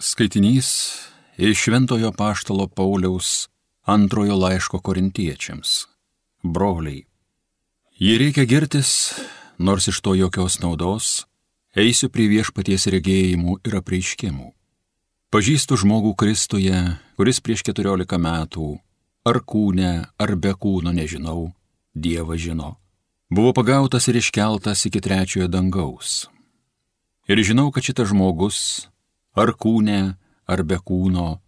Skaitinys iš Šventojo Apaštalo Pauliaus antrojo laiško Korintiečiams. Broliai, jei reikia girtis, nors iš to jokios naudos, eisiu prie viešpaties regėjimų ir apreiškimų. Pažįstu žmogų Kristuje, kuris prieš 14 metų, ar kūne, ar be kūno nežinau, Dievas žino, buvo pagautas ir iškeltas iki 3 dangaus. Ir žinau, kad šitas žmogus, ar kūne, ar be kūno,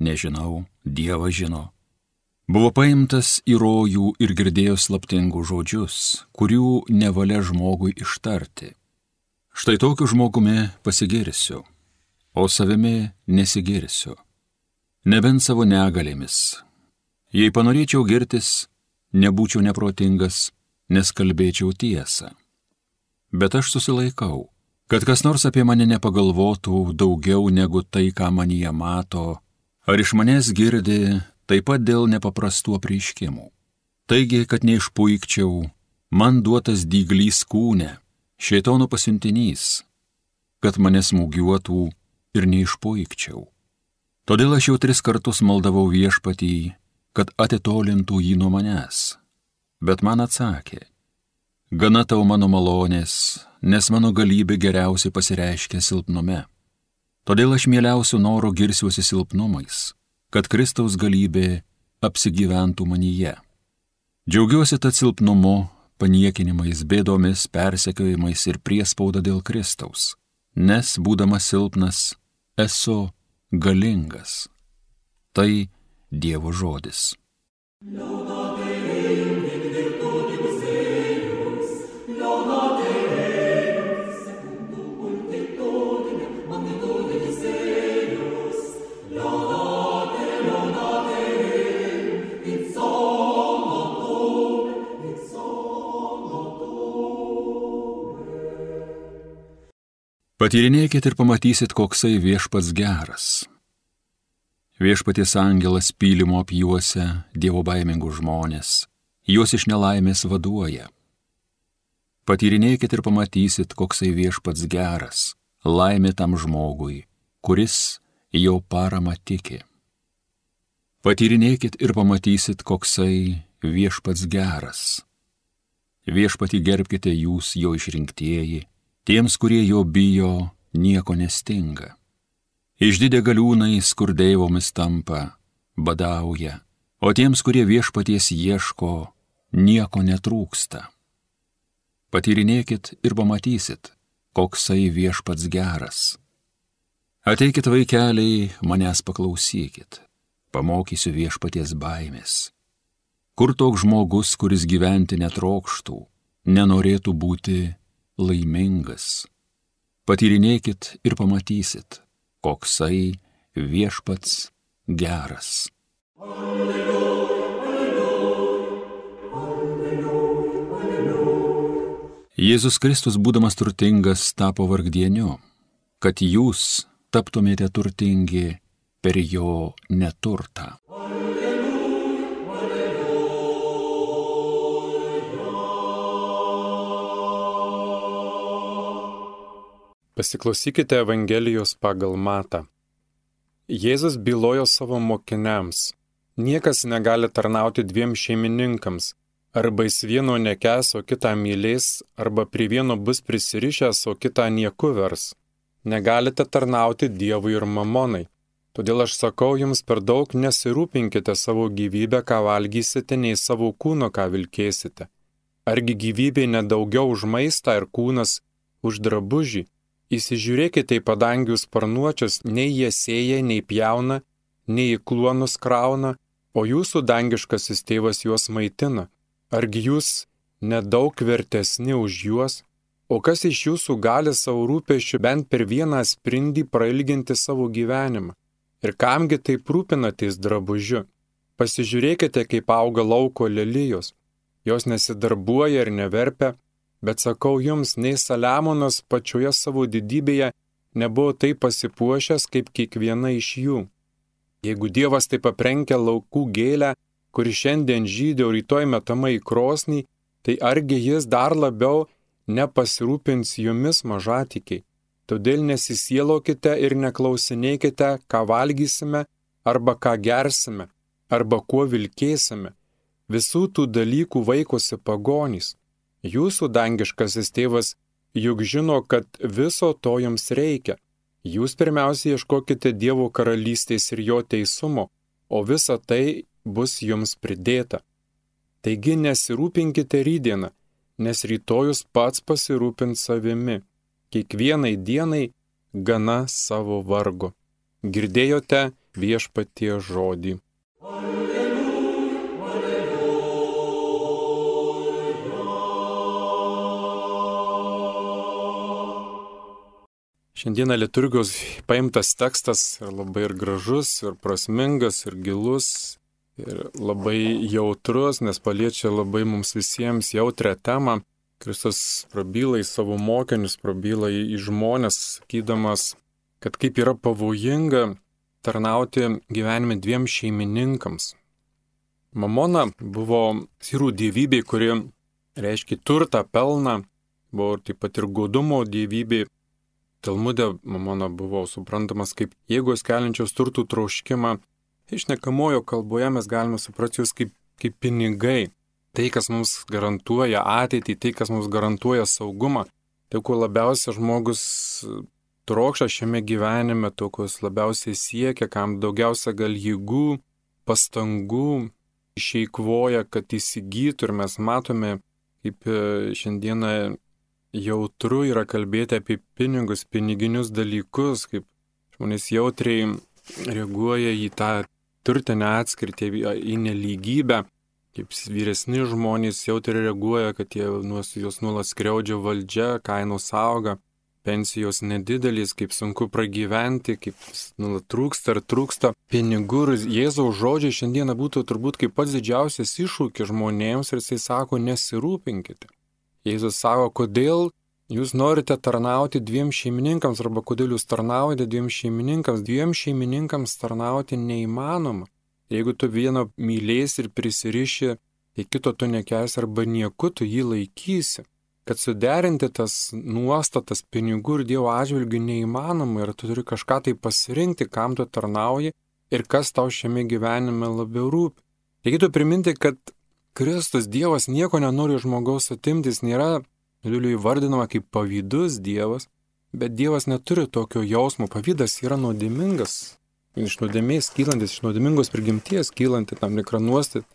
nežinau, Dievas žino, buvo paimtas į rojų ir girdėjo slaptingus žodžius, kurių nevalia žmogui ištarti. Štai tokiu žmogumi pasigirsiu, o savimi nesigirsiu, nebent savo negalėmis. Jei panorėčiau girtis, nebūčiau neprotingas, nes kalbėčiau tiesą. Bet aš susilaikau, kad kas nors apie mane nepagalvotų daugiau negu tai, ką manyje mato, ar iš manęs girdi, taip pat dėl nepaprastų apreiškimų. Taigi, kad neišpuikčiau, man duotas dyglys kūne, šėtono pasiuntinys, kad mane smūgiuotų ir neišpuikčiau. Todėl aš jau 3 kartus maldavau viešpatį, kad atitolintų jį nuo manęs. Bet man atsakė, gana tau mano malonės, nes mano galybė geriausiai pasireiškia silpnume. Todėl aš mieliausių noro girsiuosi silpnumais, kad Kristaus galybė apsigyventų manyje. Džiaugiuosi tad silpnumu, paniekinimais, bėdomis, persekiojimais ir priespauda dėl Kristaus, nes, būdamas silpnas, esu galingas. Tai Dievo žodis. Patyrinėkit ir pamatysit, koksai viešpats geras. Viešpaties angelas pylimo apjuosia Dievo baimingus žmonės, juos iš nelaimės vaduoja. Patyrinėkit ir pamatysit, koksai viešpats geras, laimė tam žmogui, kuris jo parama tiki. Patyrinėkit ir pamatysit, koksai viešpats geras. Viešpatį gerbkite jūs, jo išrinktieji, tiems, kurie jo bijo, nieko nestinga. Išdidę galiūnai skurdeivomis tampa, badauja, o tiems, kurie viešpaties ieško, nieko netrūksta. Patyrinėkit ir pamatysit, koksai viešpats geras. Ateikit vaikeliai, manęs paklausykit, pamokysiu viešpaties baimės. Kur toks žmogus, kuris gyventi netrokštų, nenorėtų būti laimingas? Patyrinėkit ir pamatysit, koksai viešpats geras. Alleluja, alleluja, alleluja, alleluja. Jėzus Kristus, būdamas turtingas, tapo vargdieniu, kad jūs taptumėte turtingi per jo neturtą. Pasiklausykite Evangelijos pagal Matą. Jėzus bylojo savo mokiniams, niekas negali tarnauti 2 šeimininkams, arba jis vieno nekęs, o kitą mylės, arba prie vieno bus prisirišęs, o kitą nieku vers. Negalite tarnauti Dievui ir mamonai. Todėl aš sakau jums, per daug nesirūpinkite savo gyvybę, ką valgysite, nei savo kūno, ką vilkėsite. Argi gyvybė nedaugiau už maistą ir kūnas už drabužį? Įsižiūrėkite į padangių sparnuočius, nei jie sėja, nei pjauna, nei į kluonus krauna, o jūsų dangiškasis tėvas juos maitina. Argi jūs nedaug vertesni už juos? O kas iš jūsų gali savo rūpesčių bent per vieną sprindį prailginti savo gyvenimą? Ir kamgi taip rūpinatės drabužiu? Pasižiūrėkite, kaip auga lauko lelijos. Jos nesidarbuoja ir neverpia, bet sakau jums, nei Saliamonas pačioje savo didybėje nebuvo taip pasipuošęs kaip kiekviena iš jų. Jeigu Dievas taip aprengia laukų gėlę, kuri šiandien žydi, o rytoj metama į krosnį, tai argi jis dar labiau nepasirūpins jumis, mažatikiai? Todėl nesisielokite ir neklausinėkite, ką valgysime, arba ką gersime, arba kuo vilkėsime. Visų tų dalykų vaikosi pagonys. Jūsų dangiškasis tėvas juk žino, kad viso to jums reikia. Jūs pirmiausia ieškokite Dievo karalystės ir jo teisumo, o visa tai bus jums pridėta. Taigi nesirūpinkite rytdieną, nes rytojus pats pasirūpins savimi. Kiekvienai dienai gana savo vargo. Girdėjote Viešpaties žodį. Šiandieną liturgijos paimtas tekstas labai ir gražus, ir prasmingas, ir gilus, ir labai jautrus, nes paliečia labai mums visiems jautrią temą. Kristus prabyla į savo mokinius, prabyla į žmonės, sakydamas, kad kaip yra pavojinga tarnauti gyvenime dviem šeimininkams. Mamona buvo sirų dievybė, kuri reiškia turtą, pelną, buvo taip pat ir godumo dievybė. Talmude mamona buvo suprantamas kaip jėgos keliančios turtų troškimą. Išnekamojo kalboje mes galime suprasti jūs kaip pinigai. Tai, kas mums garantuoja ateitį, tai, kas mums garantuoja saugumą. Tai, ko labiausiai žmogus trokšta šiame gyvenime, to, ko jis labiausiai siekia, kam daugiausia gal jėgų, pastangų išeikvoja, kad įsigytų. Ir mes matome, kaip šiandieną jautru yra kalbėti apie pinigus, piniginius dalykus, kaip žmonės jautriai reaguoja į tą turtinę atskirtį, į nelygybę, kaip vyresni žmonės jautriai reaguoja, kad juos nuolat skriaudžia valdžia, kainos auga, pensijos nedidelės, kaip sunku pragyventi, kaip nuolat trūksta pinigų. Jėzaus žodžiai šiandieną būtų turbūt kaip pats didžiausias iššūkis žmonėms ir jisai sako, nesirūpinkite. Jėzus sako, kodėl jūs norite tarnauti dviem šeimininkams, arba kodėl jūs tarnaujate dviem šeimininkams. Dviem šeimininkams tarnauti neįmanoma. Jeigu tu vieno mylėsi ir prisiriši, tai kito tu nekelsi arba nieku tu jį laikysi. Kad suderinti tas nuostatas pinigų ir Dievo atžvilgių neįmanoma ir tu turi kažką tai pasirinkti, kam tu tarnauji ir kas tau šiame gyvenime labiau rūpi. Reikėtų priminti, kad Kristus Dievas nieko nenori žmogaus atimti, jis nėra Biblijoje įvardinama kaip pavydus Dievas, bet Dievas neturi tokio jausmo. Pavydas yra nuodėmingas, iš nuodėmės kylantis, iš nuodėmingos prigimties kylanti tam tikrą nuostatą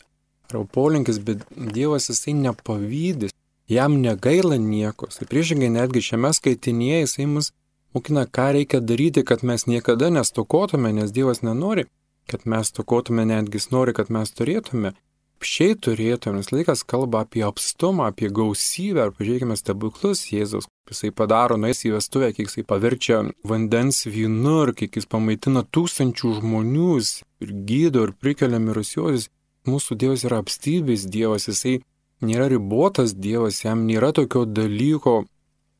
ar polinkis, bet Dievas jisai nepavydis, jam negaila nieko. Tai priešingai netgi šiame skaitinyje jisai mus mokina, ką reikia daryti, kad mes niekada nestokotume, nes Dievas nenori, kad mes stokotume, netgi jis nori, kad mes turėtume. Šiai turėtume, nes laikas kalba apie apstumą, apie gausybę, ar pažiūrėkime stebuklus Jėzaus, jisai padaro, nueis į vestuvę, kiek jisai paverčia vandens vynu ir kiek jis pamaitina tūkstančių žmonių ir gydo ir prikelia mirusiuosius. Mūsų Dievas yra apstybės Dievas, jisai nėra ribotas Dievas, jam nėra tokio dalyko,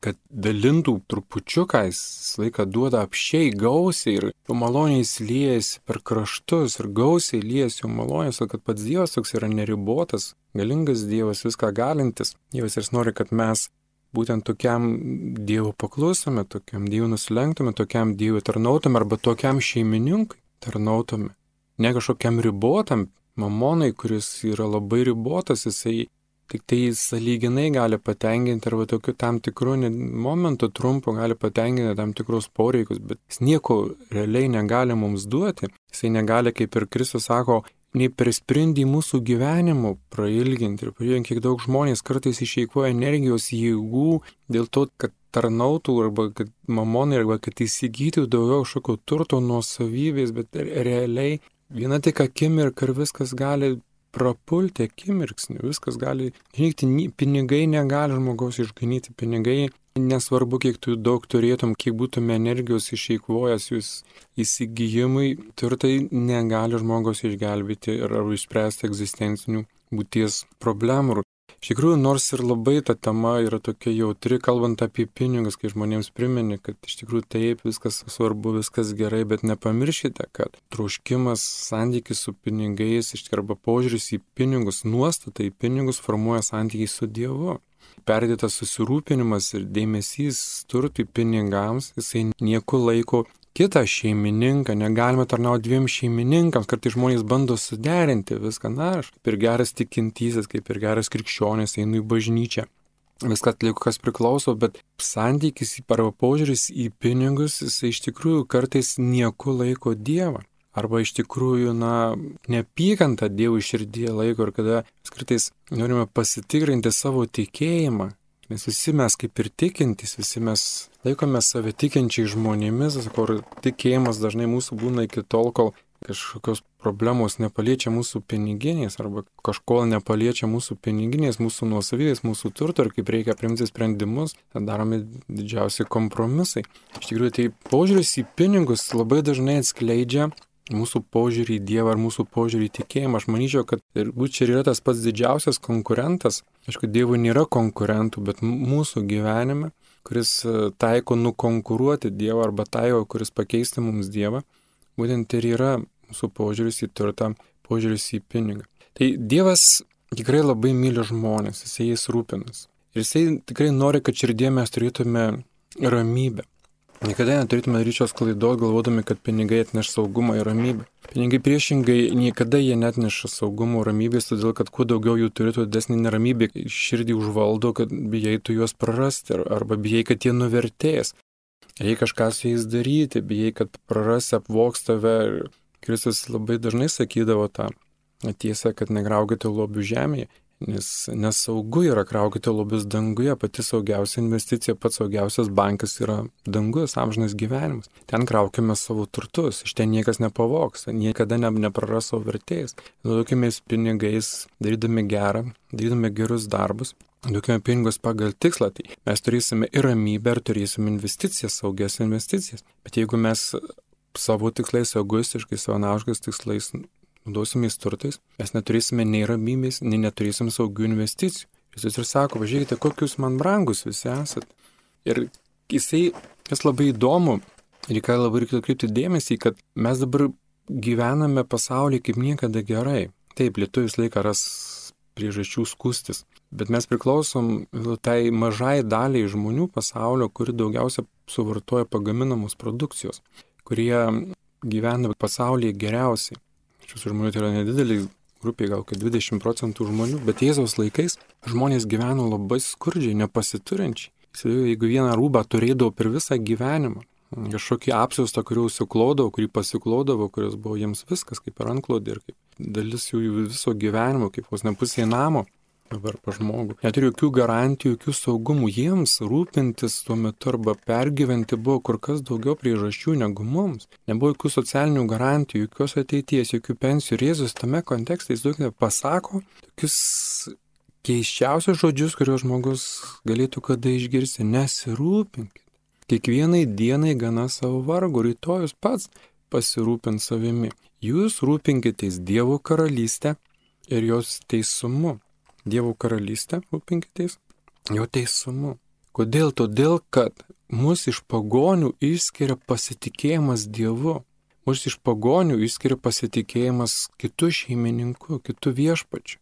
kad dalintų trupučiuką, jis laiką duoda apšiai gausiai ir jo maloniai liejasi per kraštus ir gausiai liejasi jo malonės, kad pats Dievas toks yra neribotas, galingas Dievas, viską galintis. Dievas ir nori, kad mes būtent tokiam Dievu paklustume, tokiam Dievu nusilenktume, tokiam Dievu tarnautume arba tokiam šeimininkui tarnautume. Ne kažkokiam ribotam mamonai, kuris yra labai ribotas, jisai tik tai sąlyginai gali patenkinti arba tokiu tam tikru momentu trumpu gali patenkinti tam tikrus poreikius, bet jis nieko realiai negali mums duoti. Jisai negali, kaip ir Kristus sako, nei per sprindį mūsų gyvenimo prailginti. Ir pažiūrėjom, kiek daug žmonės kartais išeikvoja energijos, jėgų dėl to, kad tarnautų arba kad mamonai arba kad įsigytų daugiau kažkokio turto nuosavybės, bet realiai viena tik akimirka ir viskas gali prapulti akimirksniu, viskas gali žinyti, pinigai negali žmogaus išganyti, pinigai nesvarbu, kiek tu daug turėtum, kiek būtume energijos išeikvojęs jūs įsigijimui, turtai negali žmogaus išgelbėti ar išspręsti egzistencinių būties problemų. Iš tikrųjų, nors ir labai ta tema yra tokia jautri, kalbant apie pinigus, kai žmonėms primeni, kad iš tikrųjų taip, viskas svarbu, viskas gerai, bet nepamirškite, kad troškimas, santykis su pinigais, arba požiūris į pinigus, nuostata į pinigus formuoja santykį su Dievu. perdėtas susirūpinimas ir dėmesys turtui, pinigams, jisai nieku laiko kitą šeimininką, negalime tarnauti dviem šeimininkams, kartais žmonės bando suderinti viską, aš kaip ir geras tikintysis, kaip ir geras krikščionis, einu į bažnyčią. Viską atliku, kas priklauso, bet santykis arba požiūris į pinigus, jisai iš tikrųjų kartais nieku laiko Dievą. Arba iš tikrųjų, neapykantą Dievui širdyje laiko ir kada mes kartais norime pasitikrinti savo tikėjimą. Nes visi mes kaip ir tikintys, visi mes laikome save tikinčiai žmonėmis, kur tikėjimas dažnai mūsų būna iki tol, kol kažkokios problemos nepaliečia mūsų piniginės arba kažko nepaliečia mūsų piniginės, mūsų nuosavybės, mūsų turto ir kaip reikia priimti sprendimus, darome didžiausi kompromisai. Iš tikrųjų, tai požiūris į pinigus labai dažnai atskleidžia mūsų požiūrį į Dievą ar mūsų požiūrį į tikėjimą. Aš manyčiau, kad ir čia yra tas pats didžiausias konkurentas. Aišku, Dievui nėra konkurentų, bet mūsų gyvenime, kuris taiko nukonkuruoti Dievą arba taiko, kuris pakeisti mums Dievą, būtent ir yra mūsų požiūris į turtą, požiūris į pinigą. Tai Dievas tikrai labai myli žmonės, jisai jais rūpinas. Ir jisai tikrai nori, kad širdie mes turėtume ramybę. Niekada neturėtume ryčios klaidos, galvodami, kad pinigai atneš saugumą ir ramybę. Pinigai priešingai niekada jie netneša saugumo ir ramybės, todėl kad kuo daugiau jų turėtų didesnį neramybę, širdį užvaldo, kad bijai tu juos prarasti, arba bijai, kad jie nuvertės. Reikia kažką su jais daryti, bijai, kad prarasi, apvogs tave. Kristus labai dažnai sakydavo tą tiesą, kad negraukite lobių žemėje. Nes nesaugu yra kraukite lobius danguje, pati saugiausia investicija, pats saugiausias bankas yra dangus, amžinas gyvenimas. Ten kraukime savo turtus, iš ten niekas nepavogs, niekada nepraras savo vertės. Naudokimės pinigais, darydami gerą, darydami gerus darbus, naudokime pinigus pagal tikslą, tai mes turėsime ir ramybę, ir turėsime investicijas, saugias investicijas. Bet jeigu mes savo tikslais, egoistiškai, savanaudiškais tikslais naudosimės turtais, mes neturėsime nei ramybės, nei neturėsime saugių investicijų. Jis ir sako, važiuokite, kokius man brangus visi esat. Ir kas labai įdomu, reikia labai kreipti dėmesį, kad mes dabar gyvename pasaulyje kaip niekada gerai. Taip, lietuvis laiką ras priežasčių skūstis, bet mes priklausom tai mažai daliai žmonių pasaulio, kuri daugiausia suvartoja pagaminamos produkcijos, kurie gyvena pasaulyje geriausiai. Šių žmonių tai yra nedidelė grupė, gal 20% žmonių, bet Jėzaus laikais žmonės gyveno labai skurdžiai, nepasiturinčiai. Jeigu vieną rūbą turėdavo per visą gyvenimą, kažkokį apsiaustą, kurį užsiklodavo, kurį pasiklodavo, kuris buvo jiems viskas, kaip ir antklodė ir kaip dalis jų viso gyvenimo, kaip vos ne pusė namo. Dabar pa žmogų. Neturi jokių garantijų, jokių saugumų. Jiems rūpintis tuo metu arba pergyventi buvo kur kas daugiau priežasčių negu mums. Nebuvo jokių socialinių garantijų, jokios ateities, jokių pensijų. Ir Jėzus tame kontekste, jis daug pasako tokius keiščiausius žodžius, kuriuos žmogus galėtų kada išgirsti. Nesirūpinkit. Kiekvienai dienai gana savo vargo, rytojus pats pasirūpins savimi. Jūs rūpinkitės Dievo karalystę ir jos teisumu. Dievo karalystę rūpinkitės, jo teisumu. Kodėl? Todėl, kad mus iš pagonių išskiria pasitikėjimas Dievu. Mus iš pagonių išskiria pasitikėjimas kitų šeimininku, kitų viešpačių.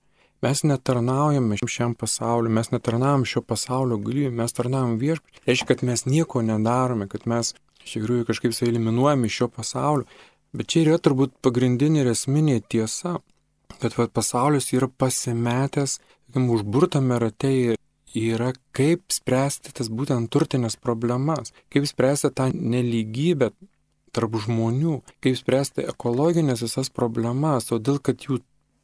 Mes netarnaujame šiam pasauliu, mes netarnaujame šio pasaulio galybę, mes tarnaujame viešpačiu. Reiškia, kad mes nieko nedarome, kad mes iš tikrųjų kažkaip eliminuojame iš šio pasaulio. Bet čia yra turbūt pagrindinė ir esminė tiesa. Kad pasaulis yra pasimetęs, užburtame rate yra kaip spręsti tas būtent turtinės problemas, kaip spręsti tą nelygybę tarp žmonių, kaip spręsti ekologinės visas problemas, todėl kad jų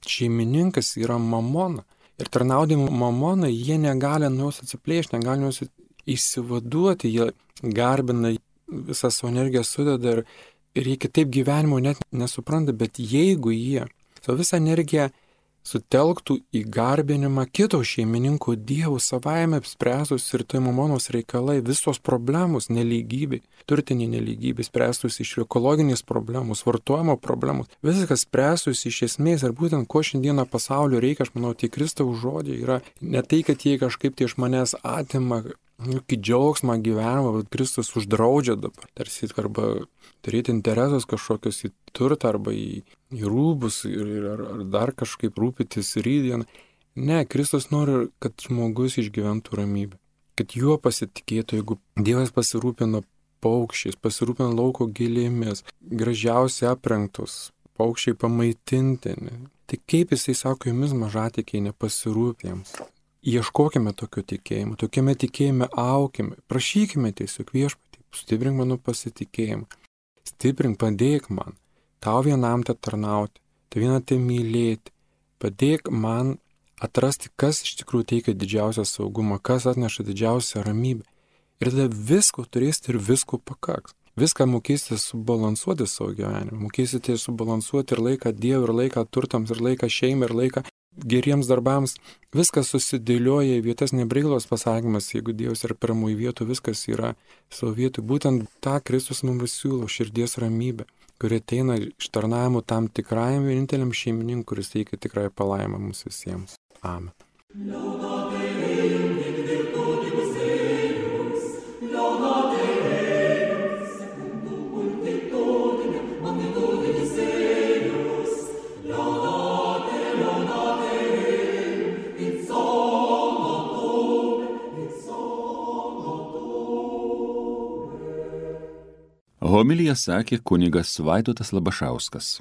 šeimininkas yra mamona. Ir tarnaudami mamonai jie negali nuo jos atsiplėšti, negali nuo jos išsivaduoti, jie garbina, visą savo energiją sudeda ir jie kitaip gyvenimo net nesupranta, bet jeigu jie savo visą energiją sutelktų į garbinimą kito šeimininko Dievų savaime apspręstus ir tai mamonos reikalai, visos problemos, nelygybė, turtinė nelygybė, spręstus iš ekologinės problemos, vartojimo problemos, viskas spręstus iš esmės ir būtent ko šiandieną pasaulio reikia, aš manau, tie Kristaus žodžiai yra ne tai, kad jie kažkaip tai iš manęs atima jokį džiaugsmą gyvenimą, bet Kristus uždraudžia dabar, tarsi arba turėti interesus kažkokius į turtą arba į rūbus ar dar kažkaip rūpytis rydieną. Ne, Kristus nori, kad žmogus išgyventų ramybę, kad juo pasitikėtų, jeigu Dievas pasirūpino paukščiais, pasirūpino lauko gėlėmis, gražiausiai aprengtus, paukščiai pamaitintini. Tai kaip jisai sako, jumis mažatikiai nepasirūpėms. Ieškokime tokio tikėjimo, tokiame tikėjime aukime, prašykime tiesiog Viešpatį, stiprink mano pasitikėjimą, stiprink, padėk man, tau vienam te tarnauti, tau vieną te mylėti, padėk man atrasti, kas iš tikrųjų teikia didžiausią saugumą, kas atneša didžiausią ramybę. Ir tada visko turėsite ir visko pakaks. Viską mokėsite subalansuoti savo gyvenimą, mokėsite subalansuoti ir laiką Dievui, ir laiką turtams, ir laiką šeimai, ir laiką geriems darbams. Viskas susidėlioja į vietas, nebrailos pasakymas, jeigu Dievas yra pirmųjų vietų, viskas yra savo vietoj. Būtent tą Kristus mums siūlo, širdies ramybę, kuri ateina iš tarnavimų tam tikrajam vieninteliam šeimininkui, kuris teikia tikrąją palaimą mums visiems. Amen. Homiliją sakė kunigas Vaidotas Labašauskas.